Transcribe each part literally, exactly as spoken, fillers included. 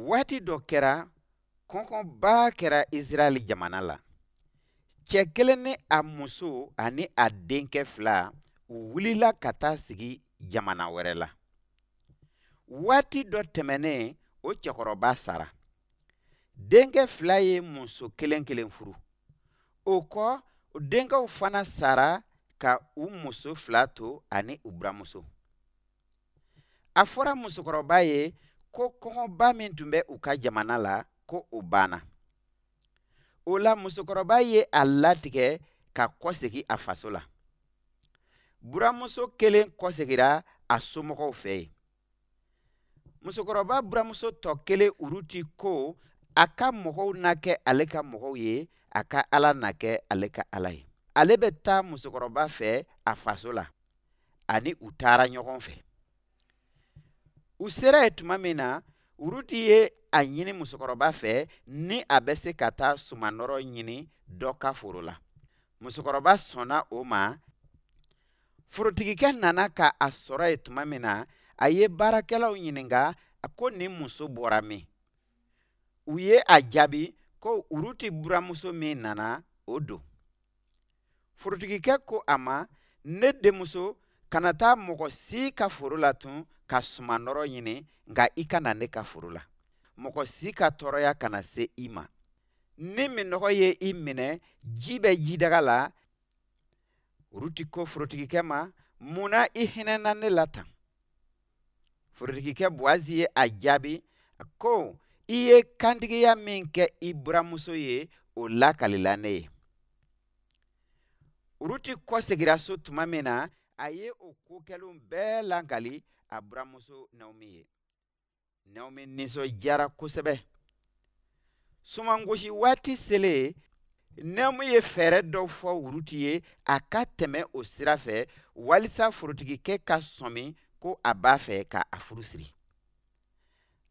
Waati dɔ kɛra, kɔngɔba kɛra Israɛl jamana la. Cɛ kelen ni a muso ani a denkɛ fila, u wulila ka taa sigi jamana wɛrɛ la. Waati dɔ tɛmɛnen, o cɛkɔrɔba sara. Denkɛ fila ye muso kelen kelen furu. O kɔ, denkɛw fana sara ka u muso fila to ani u buramuso. A fɔra musokɔrɔba ye ko kɔngɔba min tun bɛ u ka jamana la, ko o banna. O la, musokɔrɔba ye a latigɛ ka kɔsegin a faso la. Buramuso kelen kɔsegira a somɔgɔw fɛ yen. Musokɔrɔba buramuso tɔ kelen Uruti ko a ka mɔgɔw na kɛ ale ka mɔgɔw ye, a ka Ala na kɛ ale ka Ala ye. Ale bɛ taa musokɔrɔba fɛ a faso la, ani u taara ɲɔgɔn fɛ. U sera yen tuma min na, Uruti ye a ɲini musokɔrɔba fɛ ni a bɛ se ka taa sumanɔrɔ ɲini dɔ ka foro la. Musokɔrɔba sɔnna o ma. Forotigikɛ nana ka a sɔrɔ yen tuma min na, a ye baarakɛlaw ɲininka a ko nin muso bɔra min? U ye a jaabi ko Uruti buramuso min nana, o don. Forotigikɛ ko a ma: "Ne denmuso, kana taa mɔgɔ si ka foro la tun ka sumanɔrɔ ɲini, nka i ka na ne ka foro la. Mɔgɔ si ka tɔɔrɔya kana se i ma. Ni minnɔgɔ ye i minɛ, ji bɛ jidaga la." Uruti ko forotigikɛ ma: "Mun na i hinɛna ne la tan?" Forotigikɛ Buwazi ye a jaabi ko: "I ye kantigiya min kɛ i buramuso ye, o lakalila ne ye." Uruti kɔsegira so tuma min na, a ye o ko kɛlenw bɛɛ lakali a buramuso Naomi ye. Naomi nisɔndiyara kosɛbɛ. Sumangosi waati selen, Naomi ye fɛɛrɛ dɔ fɔ Uruti ye a ka tɛmɛ o sira fɛ walisa forotigikɛ ka sɔmi ko a b'a fɛ ka a furu siri.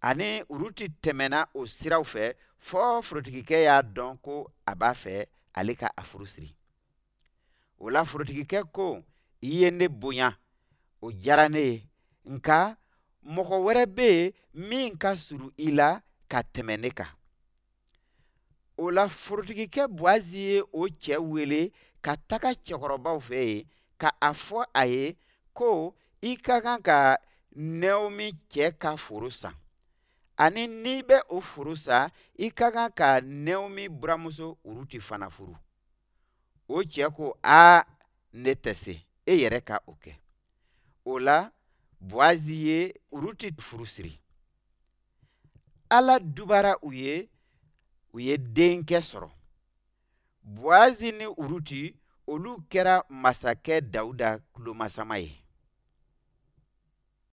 Ani Uruti tɛmɛna o siraw fɛ fɔ forotigikɛ y'a dɔn ko a b'a fɛ ale ka a furu siri. O la, forotigikɛ ko: "I ye ne bonya, o diyara ne ye, nka mɔgɔ wɛrɛ bɛ yen min ka surun i la ka tɛmɛ ne kan." O la, forotigikɛ Buwazi ye o cɛ wele ka taga cɛkɔrɔbaw fɛ yen ka a fɔ a ye ko: "I ka kan ka Naomi cɛ ka foro san, ani n'i bɛ o foro san, i ka kan ka Naomi buramuso Uruti fana furu." O cɛ ko: "Aa, ne tɛ se, e yɛrɛ ka o kɛ." O la, Buwazi ye Uruti furu siri. Ala dubara u ye, u ye denkɛ sɔrɔ. Buwazi ni Uruti, olu kɛra masakɛ Dawuda tulomasama ye.